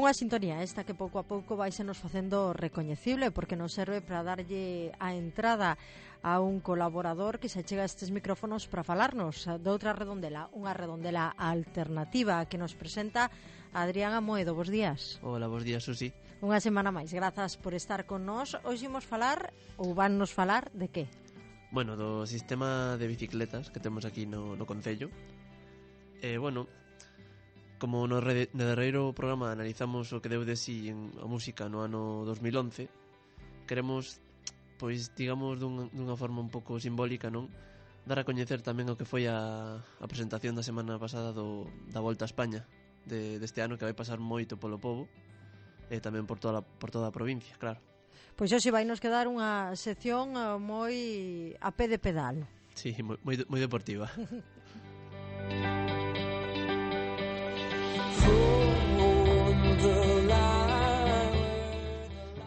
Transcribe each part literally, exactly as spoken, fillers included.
Unha sintonía esta que pouco a pouco vai se nos facendo recoñecible, porque nos serve para darlle a entrada a un colaborador que se chega a estes micrófonos para falarnos de outra redondela, unha redondela alternativa que nos presenta Adrián Amoedo. Bos días. Hola, bos días, Susi. Unha semana máis, grazas por estar con nós. Hoxe imos falar, ou van nos falar, de que? Bueno, do sistema de bicicletas que temos aquí no, no Concello. Eh, bueno, como no, re, no derreiro programa analizamos o que deu de si en a música no ano dos mil once, queremos, pois, digamos, dun, dunha forma un pouco simbólica, non? Dar a coñecer tamén o que foi a, a presentación da semana pasada do, da Volta a España de, deste ano, que vai pasar moito polo pobo e tamén por toda, a, por toda a provincia, claro. Pois hoxe vai nos quedar unha sección moi a pé de pedal. Sí, moi, moi, moi deportiva.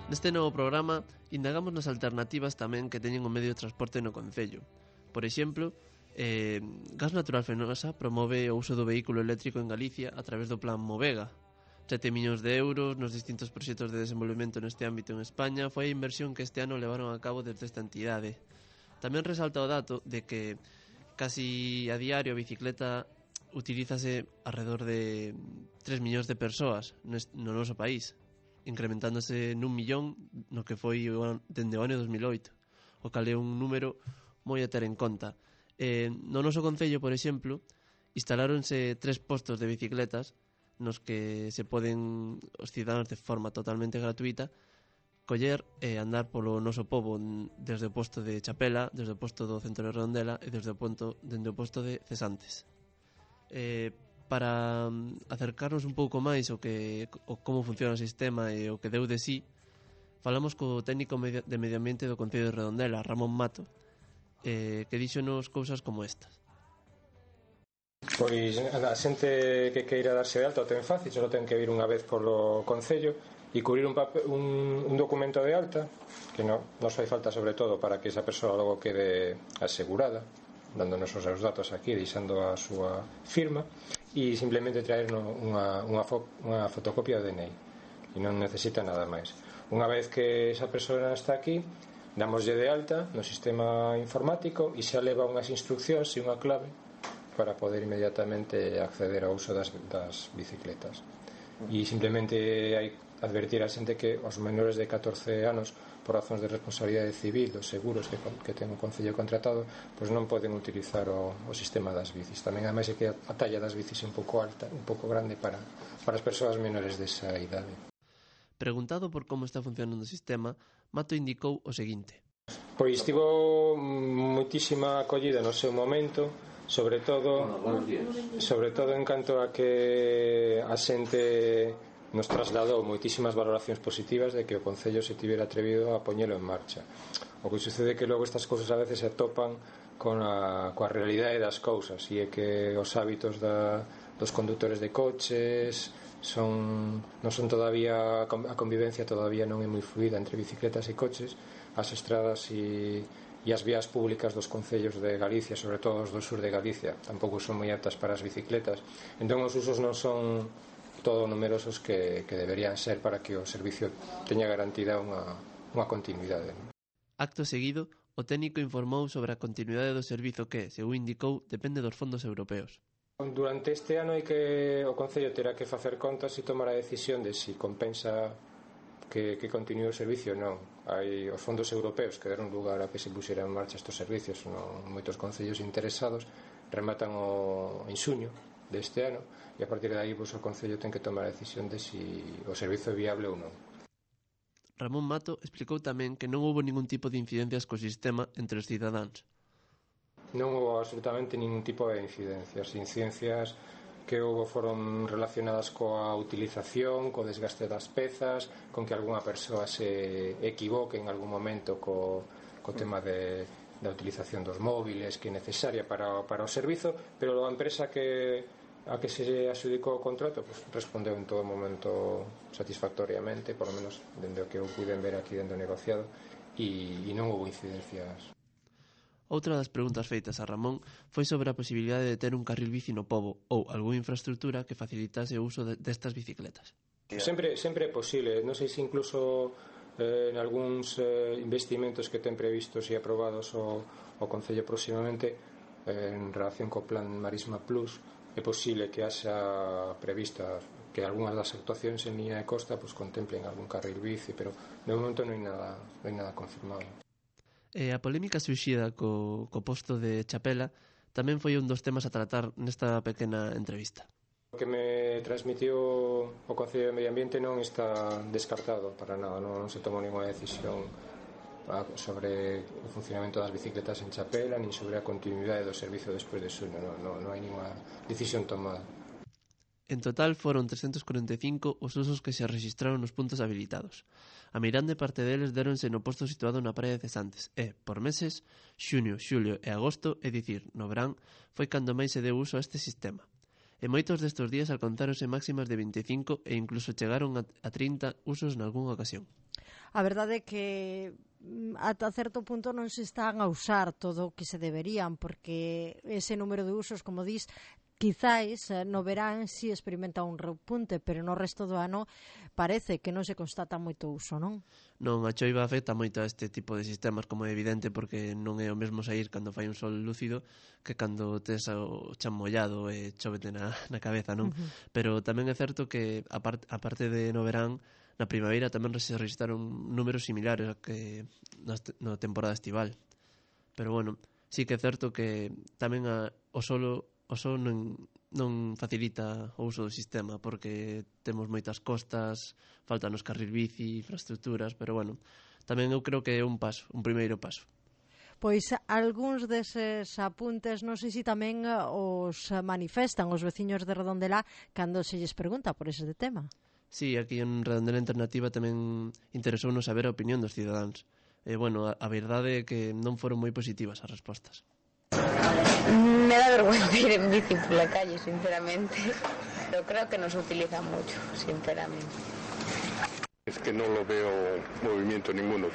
Neste novo programa indagamos nas alternativas tamén que teñen o medio de transporte no Concello. Por exemplo, eh, Gas Natural Fenosa promove o uso do vehículo eléctrico en Galicia a través do plan Movega. sete millóns de euros nos distintos proxectos de desenvolvemento neste ámbito en España foi a inversión que este ano levaron a cabo desde esta entidade. Tamén resalta o dato de que casi a diario a bicicleta utilízase alrededor de tres millóns de persoas no noso país, incrementándose nun millón no que foi dende o ano dos mil oito, o cal é un número moi a ter en conta. Eh, no noso concello, por exemplo, instaláronse tres postos de bicicletas nos que se poden os cidadanos de forma totalmente gratuita coller e andar polo noso pobo desde o posto de Chapela, desde o posto do centro de Redondela e desde o ponto, dende o posto de Cesantes. Eh, para acercarnos un pouco máis o que o como funciona o sistema e o que deu de sí, falamos co técnico de medio ambiente do Concello de Redondela, Ramón Mato, eh, que díxonos cousas como estas. Pois a xente que queira darse de alta o ten fácil, só ten que vir unha vez polo Concello e cubrir un, papel, un, un documento de alta que no, nos fai falta sobre todo para que esa persoa logo quede asegurada, dándonos os seus datos aquí, deixando a súa firma, e simplemente traer unha, unha, fo, unha fotocopia do D N I e non necesita nada máis. Unha vez que esa persoa está aquí, damoslle de alta no sistema informático e xa leva unhas instruccións e unha clave para poder inmediatamente acceder ao uso das, das bicicletas. E simplemente hai advertir a xente que os menores de catorce anos, por razóns de responsabilidade civil dos seguros que, que ten o Concello contratado, pois non poden utilizar o, o sistema das bicis. Tamén ademais é que a talla das bicis é un pouco alta, un pouco grande para, para as persoas menores desa idade. Preguntado por como está funcionando o sistema, Mato indicou o seguinte: Pois tivo moitísima acollida no seu momento, sobre todo sobre todo en canto a que a xente nos trasladou moitísimas valoracións positivas de que o Concello se tivera atrevido a poñelo en marcha. O que sucede é que logo estas cousas a veces se topan con a, coa realidade das cousas, e é que os hábitos da, dos condutores de coches son, non son todavía, a convivencia todavía non é moi fluida entre bicicletas e coches. As estradas e e as vías públicas dos concellos de Galicia, sobre todo os do sur de Galicia, tampouco son moi aptas para as bicicletas. Entón os usos non son todo numerosos que, que deberían ser para que o servicio teña garantida unha, unha continuidade. Acto seguido, o técnico informou sobre a continuidade do servizo que, según indicou, depende dos fondos europeos. Durante este ano hai que o Concello terá que facer contas e tomar a decisión de si compensa que, que continúe o servicio ou non. Hai os fondos europeos que deron lugar a que se puxeran en marcha estes servicios, non moitos concellos interesados, rematan o en xuño deste ano e a partir de aí pois, o Concello ten que tomar a decisión de si o servizo é viable ou non. Ramón Mato explicou tamén que non houbo ningún tipo de incidencias co sistema entre os cidadáns. Non houbo absolutamente ningún tipo de incidencias. Incidencias que houbo foron relacionadas coa utilización, co desgaste das pezas, con que algunha persoa se equivoque en algún momento co, co tema de, da utilización dos móviles que é necesaria para, para o servizo, pero a empresa que a que se adxudicou o contrato pues, respondeu en todo momento satisfactoriamente, por lo menos dende o que eu puiden ver aquí dentro do negociado, e, e non houbo incidencias. Outra das preguntas feitas a Ramón foi sobre a posibilidade de ter un carril bici no pobo ou algunha infraestructura que facilitase o uso de, destas bicicletas. Sempre, sempre é posible, non sei se incluso eh, en algúns eh, investimentos que ten previstos e aprobados o, o Concello próximamente eh, en relación co plan Marisma Plus, é posible que haxa prevista que algunhas das actuacións en línea de costa pues, contemplen algún carril bici, pero de momento non hai nada, non hai nada confirmado. E a polémica surxida co, co posto de Chapela tamén foi un dos temas a tratar nesta pequena entrevista. O que me transmitiu o Concello de Medio Ambiente non está descartado para nada, non, non se tomou ninguna decisión sobre o funcionamento das bicicletas en Chapela nin sobre a continuidade do servicio despois de Xuno, non, non, non hai ninguna decisión tomada. En total foron trescentos corenta e cinco os usos que se registraron nos puntos habilitados. A meirande parte deles déronse no posto situado na praia de Cesantes e, por meses, xunio, xulio e agosto, é dicir, no verán, foi cando máis se deu uso a este sistema. E moitos destes días alcanzáronse máximas de vinte e cinco e incluso chegaron a trinta usos nalgúnha ocasión. A verdade é que ata certo punto non se están a usar todo o que se deberían, porque ese número de usos, como dis, quizáis no verán si experimenta un repunte, pero no resto do ano parece que non se constata moito uso, non? Non, a choiva afecta moito a este tipo de sistemas, como é evidente, porque non é o mesmo sair cando fai un sol lúcido que cando tes o chan mollado e chovete na, na cabeza, non? Uh-huh. Pero tamén é certo que, a, part, a parte de no verán, na primavera tamén se registraron números similares que na, na temporada estival. Pero bueno, sí que é certo que tamén a, o solo o sol non, non facilita o uso do sistema porque temos moitas costas, faltan os carril bici, infraestructuras, pero bueno, tamén eu creo que é un paso, un primeiro paso. Pois algúns deses apuntes non sei se tamén os manifestan os veciños de Redondela cando se lles pregunta por ese tema. Sí, aquí en Redondela Alternativa tamén interesounos saber a opinión dos cidadáns. E, bueno, a, a verdade é que non foron moi positivas as respostas. Me da vergüenza ir en bici por la calle, sinceramente, pero creo que no se utiliza mucho, sinceramente. Es que no lo veo movimiento ninguno.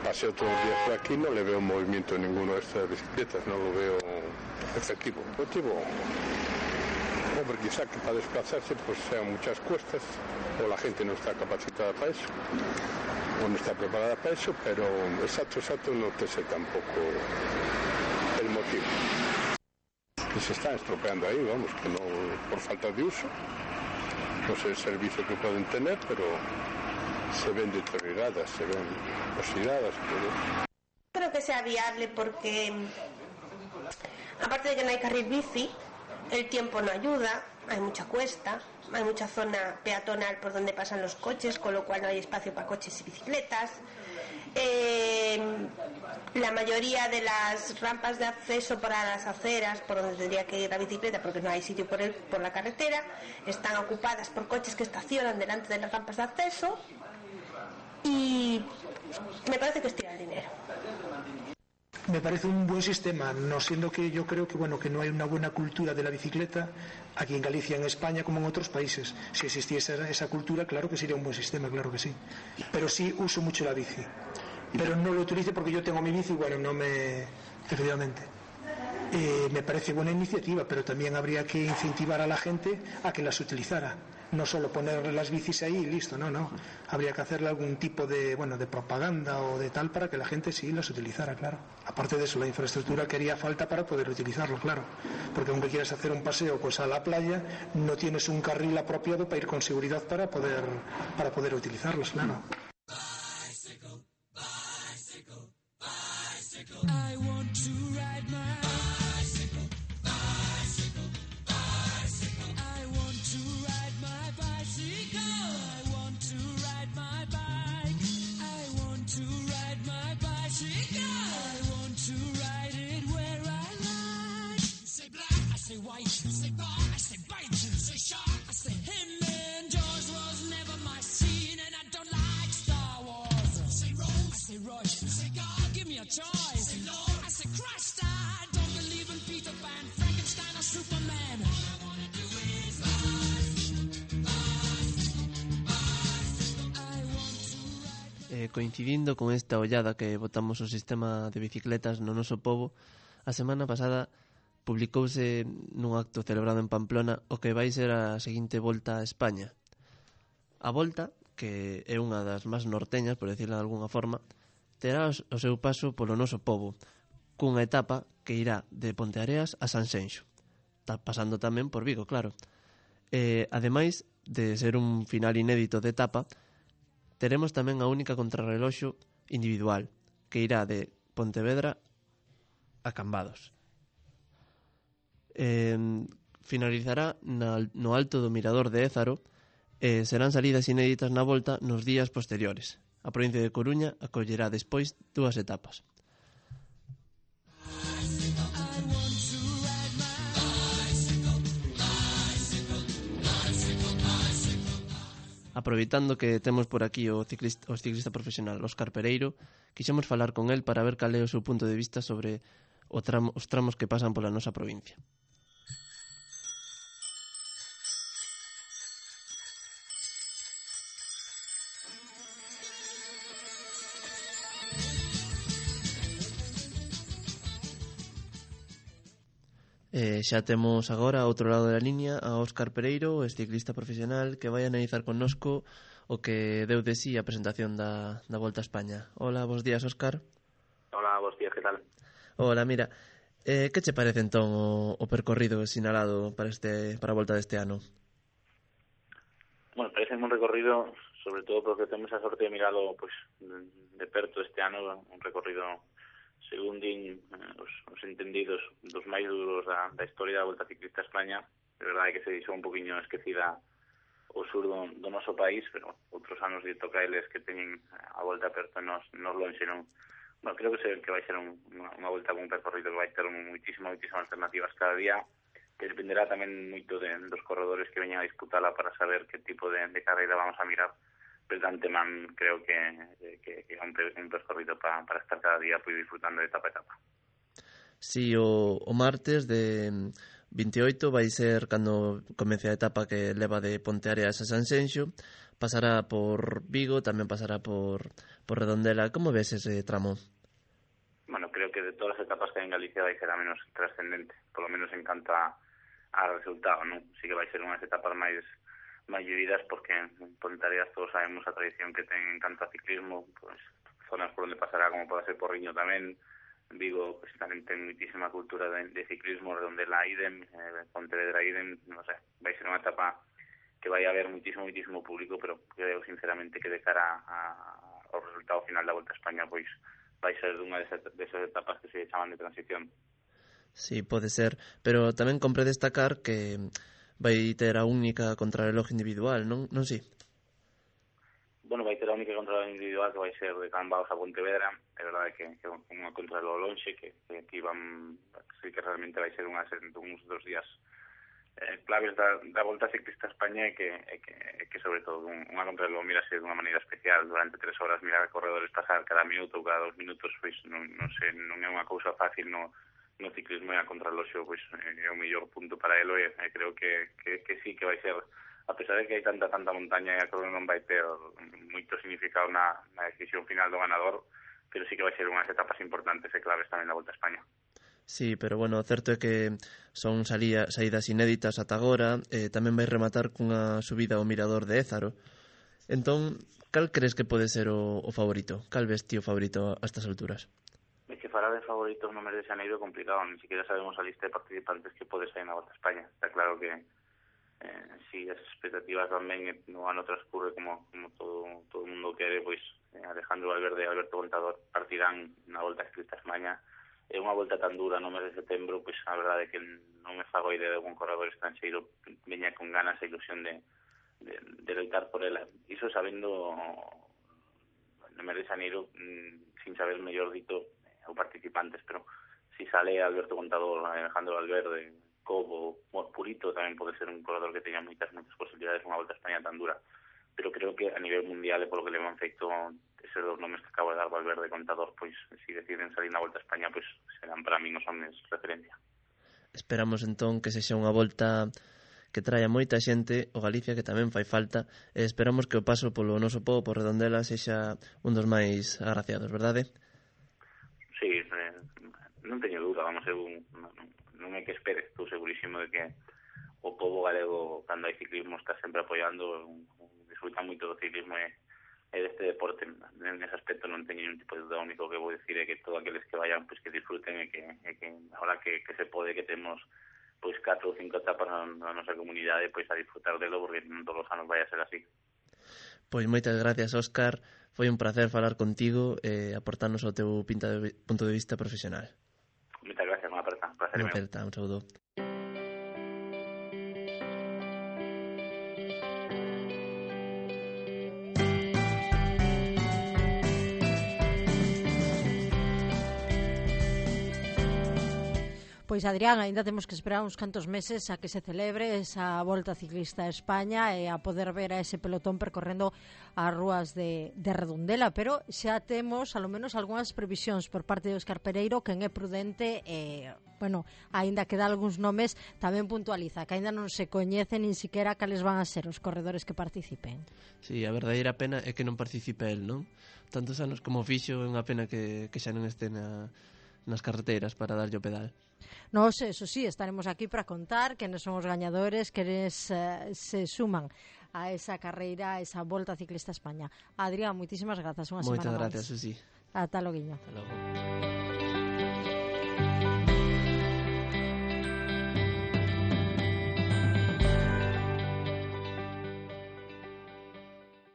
Paseo todos los días por aquí, no le veo movimiento ninguno a estas bicicletas, no lo veo efectivo. Motivo, hombre, quizá que para desplazarse pues sean muchas cuestas, o la gente no está capacitada para eso, o no está preparada para eso, pero exacto, exacto no te sé tampoco el motivo. Que se están estropeando ahí, vamos, que no por falta de uso, no sé el servicio que pueden tener, pero se ven deterioradas, se ven oxidadas. Pero... Creo que sea viable porque, aparte de que no hay carril bici, el tiempo no ayuda, hay mucha cuesta, hay mucha zona peatonal por donde pasan los coches, con lo cual no hay espacio para coches y bicicletas. Eh, la mayoría de las rampas de acceso para las aceras, por donde tendría que ir la bicicleta, porque no hay sitio por, el, por la carretera, están ocupadas por coches que estacionan delante de las rampas de acceso y me parece que estira el dinero. Me parece un buen sistema, no siendo que yo creo que bueno que no hay una buena cultura de la bicicleta aquí en Galicia, en España, como en otros países. Si existiese esa cultura, claro que sería un buen sistema, claro que sí. Pero sí uso mucho la bici. Pero no lo utilizo porque yo tengo mi bici y bueno, no me... efectivamente. Eh, me parece buena iniciativa, pero también habría que incentivar a la gente a que las utilizara. No solo poner las bicis ahí y listo, no, no. Habría que hacerle algún tipo de, bueno, de propaganda o de tal para que la gente sí las utilizara, claro. Aparte de eso, la infraestructura que haría falta para poder utilizarlo, claro. Porque aunque quieras hacer un paseo pues a la playa, no tienes un carril apropiado para ir con seguridad para poder, para poder utilizarlos, claro. Bicycle, bicycle, bicycle. I want to ride my bicycle, bicycle, bicycle. I want to ride my bicycle. I want to ride my bike. I want to ride my bicycle. I want to ride it where I like. You say black, I say white. You say bar, I say bite. You say shark, I say him. And Jaws was never my scene, and I don't like Star Wars. You say Rose, I say Royce. You say God, give me a choice. You say Lord, I say Christ. I don't eh, coincidindo con esta ollada que botamos o sistema de bicicletas no noso pobo, a semana pasada publicouse nun acto celebrado en Pamplona o que vai ser a seguinte volta a España. A volta, que é unha das máis norteñas, por decirlo de alguna forma, terá o seu paso polo noso pobo, cunha etapa que irá de Ponteareas a Sanxenxo. Está pasando tamén por Vigo, claro. E, ademais de ser un final inédito de etapa, teremos tamén a única contrarreloxo individual, que irá de Pontevedra a Cambados. Eh, finalizará na, no alto do Mirador de Ézaro e serán salidas inéditas na volta nos días posteriores. A provincia de Coruña acollerá despois dúas etapas. Aproveitando que temos por aquí o ciclista, o ciclista profesional Óscar Pereiro, quixemos falar con el para ver cal é o seu punto de vista sobre o tramo, os tramos que pasan pola nosa provincia. Eh, xa temos agora ao outro lado da liña a Óscar Pereiro, o ciclista profesional, que vai analizar connosco o que deu de sí a presentación da, da Volta a España. Hola, bons días, Óscar. Hola, bons días, que tal? Hola, mira, eh, que che parece entón o, o percorrido sinalado para este para a Volta deste ano? Bueno, parece un recorrido, sobre todo porque temos a sorte de miralo pues, de perto este ano, un recorrido según din eh, os, os entendidos dos máis duros da, da historia da Volta Ciclista a España. De verdade que se dixo un poquinho esquecida o sur do, do noso país, pero outros anos de toca eles que teñen a volta perto nos, nos lonxe, non? Bueno, creo que, se, que vai ser un, unha, unha volta con un percorrido que vai ter moitísimas, moitísimas alternativas cada día, que dependerá tamén moito de, dos corredores que veñan a disputala para saber que tipo de, de carreira vamos a mirar. Pero de antemán creo que, que, que é un, un percorrido para, para estar cada día pues, disfrutando de etapa a etapa. Sí, o, o martes de vinte e oito vai ser cando comece a etapa que leva de Ponteareas a Sanxenxo, pasará por Vigo, tamén pasará por, por Redondela. Como ves ese tramo? Bueno, creo que de todas as etapas que hai en Galicia vai ser a menos trascendente, por lo menos en canto a, a resultado, non? Sí que vai ser unhas etapas máis máis vividas porque en Ponteareas todos sabemos a tradición que ten en canto a ciclismo, pues, zonas por onde pasará como pode ser Porriño tamén, Vigo pues, tamén ten muitísima cultura de, de ciclismo, Redondela idem, eh, Pontevedra idem, non sei, vai ser unha etapa que vai haber muitísimo, muitísimo público, pero creo sinceramente que de cara a, ao resultado final da Volta a España pois vai ser unha desas, desas etapas que se chaman de transición. Sí, pode ser, pero tamén compre destacar que vai ter a única contrarreloj individual, non? Non si? Bueno, vai ter a única contrarreloj individual que vai ser de Cambados a Pontevedra. É verdade que, que unha contrarreloj lonxe, que, que aquí van, sí que realmente vai ser unhas, uns dos días eh, claves da, da Volta Ciclista a España e que, e que, e que sobre todo un, unha contrarreloj mirase dunha maneira especial durante tres horas, mirar a corredores pasar cada minuto ou cada dos minutos, pois non, non, sei, non é unha cousa fácil, non no ciclismo e a contrarreloxo pois, é o mellor punto para elo e, e creo que, que, que sí que vai ser, a pesar de que hai tanta tanta montaña e a corrida non vai ter moito significado na, na decisión final do ganador, pero sí que vai ser unhas etapas importantes e claves tamén da Volta a España. Sí, pero bueno, o certo é que son salía, saídas inéditas ata agora, e tamén vai rematar cunha subida ao Mirador de Ézaro. Entón, cal crees que pode ser o, o favorito? Cal ves ti o favorito a estas alturas? É que falar de favoritos no mes de Xaneiro é complicado, ni siquiera sabemos a lista de participantes que pode sair na Volta a España. Está claro que eh, si as expectativas van ben no ano transcurre como, como todo todo o mundo quere, pois eh, Alejandro Valverde e Alberto Contador partirán na Volta Ciclista a España. É unha volta tan dura no mes de setembro, pois a verdade é que non me fago idea de algún corredor estranxeiro veña con ganas e ilusión de, de, de loitar por ela. Iso sabendo no mes de Xaneiro, sin saber mellor dito ou participantes, pero si sale Alberto Contador, Alejandro Valverde, Cobo, bueno, Purito tamén pode ser un corredor que teña moitas, moitas posibilidades unha Volta a España tan dura, pero creo que a nivel mundial e polo que le han feito eses dos nomes que acabo de dar, Valverde e Contador, pois se si deciden salir na Volta a España, pois serán para mí os homes referencia. Esperamos entón que sexa unha volta que traia moita xente o Galicia, que tamén fai falta, e esperamos que o paso polo noso pobo por Redondela sexa un dos máis agraciados, verdade? Sí, eh, non teño dúda, vamos, eu non, non é que espere, estou segurísimo de que o pobo galego, cando hai ciclismo, está sempre apoiando, disfruta moito do ciclismo e, e deste deporte. En ese aspecto non teño ningún tipo de dúda, único que vou dicir é que todos aqueles que vayan, pues que disfruten e que, e que ahora que, que se pode, que temos pois catro ou cinco etapas na, na nosa comunidade, pois a disfrutar delo, porque non todos os anos vai a ser así. Pois moitas gracias, Óscar. Foi un placer falar contigo e aportarnos o teu pinta de, punto de vista profesional. Moitas gracias, unha aperta. Un placer. Unha aperta, un saúdo. Pois, Adrián, ainda temos que esperar uns cantos meses a que se celebre esa Volta Ciclista a España e a poder ver a ese pelotón percorrendo as rúas de, de Redondela, pero xa temos, alo menos, algunhas previsións por parte de Óscar Pereiro, que é prudente, e, bueno, aínda que dá algúns nomes, tamén puntualiza que aínda non se coñecen nin siquiera cales van a ser os corredores que participen. Sí, a verdadeira pena é que non participe el, non? Tantos anos como fixo, é unha pena que, que xa non este na, nas carreteras para darlle o pedal. Nos, eso sí, estaremos aquí para contar quenes son os gañadores, quenes uh, se suman a esa carreira, a esa Volta Ciclista a España. Adrián, moitísimas grazas, unha semana máis. Moitas grazas, Susi. Ata loguiño. Ata logo.